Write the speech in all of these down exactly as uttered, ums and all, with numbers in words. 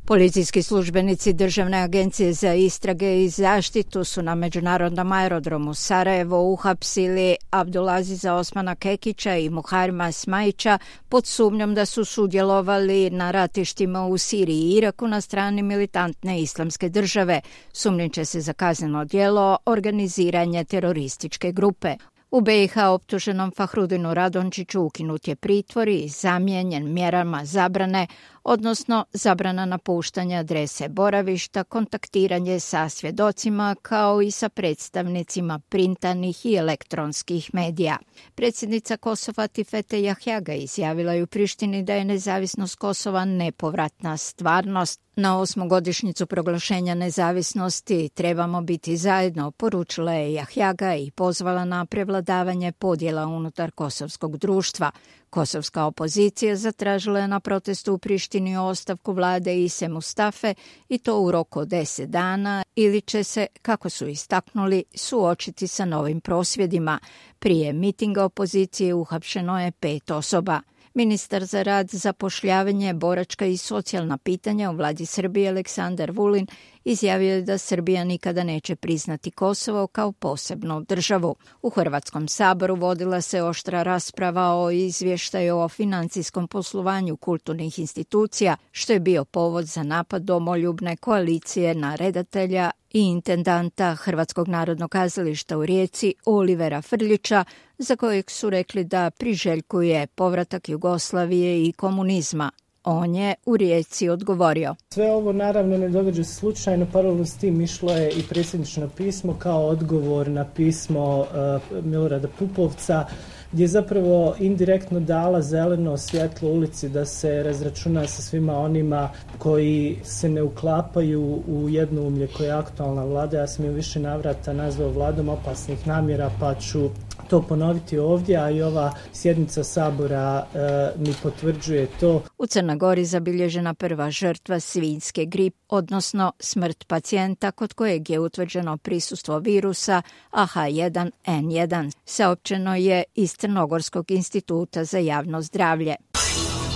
Policijski službenici Državne agencije za istrage i zaštitu su na međunarodnom aerodromu Sarajevo uhapsili Abdulaziza Osmana Kekića i Muharima Smajića pod sumnjom da su sudjelovali na ratištima u Siriji i Iraku na strani militantne islamske države. Sumnjiče se za kazneno djelo organiziranje terorističke grupe. U B i H optuženom Fahrudinu Radončiću ukinut je pritvor i zamijenjen mjerama zabrane, odnosno zabrana napuštanja adrese boravišta, kontaktiranje sa svjedocima kao i sa predstavnicima printanih i elektronskih medija. Predsjednica Kosova Tifete Jahjaga izjavila je u Prištini da je nezavisnost Kosova nepovratna stvarnost. Na osmogodišnjicu proglašenja nezavisnosti trebamo biti zajedno, poručila je Jahjaga i pozvala na prevladavanje podjela unutar kosovskog društva. Kosovska opozicija zatražila je na protestu u Prištini ostavku vlade Ise Mustafe i to u roku od deset dana ili će se, kako su istaknuli, suočiti sa novim prosvjedima. Prije mitinga opozicije uhapšeno je pet osoba. Ministar za rad, zapošljavanje, boračka i socijalna pitanja u vladi Srbije Aleksandar Vulin izjavio je da Srbija nikada neće priznati Kosovo kao posebnu državu. U Hrvatskom saboru vodila se oštra rasprava o izvještaju o financijskom poslovanju kulturnih institucija, što je bio povod za napad domoljubne koalicije na redatelja i intendanta Hrvatskog narodnog kazališta u Rijeci Olivera Frljića, za kojeg su rekli da priželjkuje povratak Jugoslavije i komunizma. On je u Rijeci odgovorio: Sve ovo naravno ne događa se slučajno, paralelno s tim išlo je i predsjednično pismo kao odgovor na pismo uh, Milorada Pupovca, gdje je zapravo indirektno dala zeleno svjetlo ulici da se razračuna sa svima onima koji se ne uklapaju u jednoumlje koje je aktualna vlada. Ja sam ju više navrata nazvao vladom opasnih namjera, pa ću to ponoviti ovdje, a i ova sjednica Sabora e, mi potvrđuje to. U Crnoj Gori zabilježena prva žrtva svinjske gripe, odnosno smrt pacijenta kod kojeg je utvrđeno prisustvo virusa A H jedan N jedan. Saopćeno je iz Crnogorskog instituta za javno zdravlje.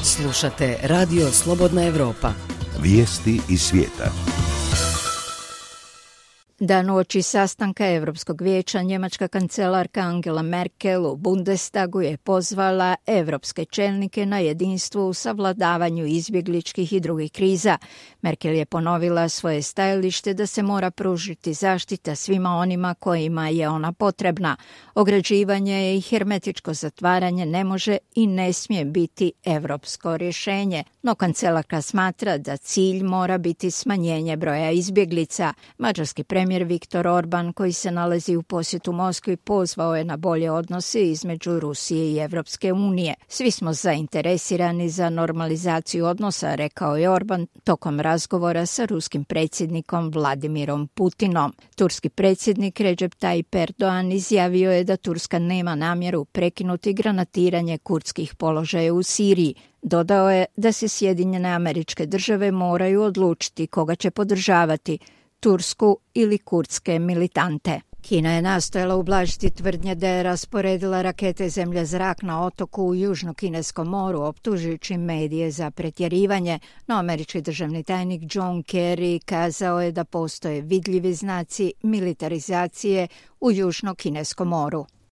Slušate Radio Slobodna Evropa. Vijesti iz svijeta. Dan uoči sastanka Europskog vijeća, njemačka kancelarka Angela Merkel u Bundestagu je pozvala europske čelnike na jedinstvo u savladavanju izbjegličkih i drugih kriza. Merkel je ponovila svoje stajalište da se mora pružiti zaštita svima onima kojima je ona potrebna. Ograđivanje i hermetičko zatvaranje ne može i ne smije biti europsko rješenje, no kancelarka smatra da cilj mora biti smanjenje broja izbjeglica. Mađarski premijer Viktor Orban, koji se nalazi u posjetu Moskvi, pozvao je na bolje odnose između Rusije i Evropske unije. Svi smo zainteresirani za normalizaciju odnosa, rekao je Orban tokom razgovora sa ruskim predsjednikom Vladimirom Putinom. Turski predsjednik Recep Tayyip Erdogan izjavio je da Turska nema namjeru prekinuti granatiranje kurdskih položaja u Siriji. Dodao je da se Sjedinjene Američke Države moraju odlučiti koga će podržavati, Tursku ili kurdske militante. Kina je nastojala ublažiti tvrdnje da je rasporedila rakete zemlja-zrak na otoku u Južno-Kineskom moru, optužujući medije za pretjerivanje, no američki državni tajnik John Kerry kazao je da postoje vidljivi znaci militarizacije u Južno-Kineskom moru.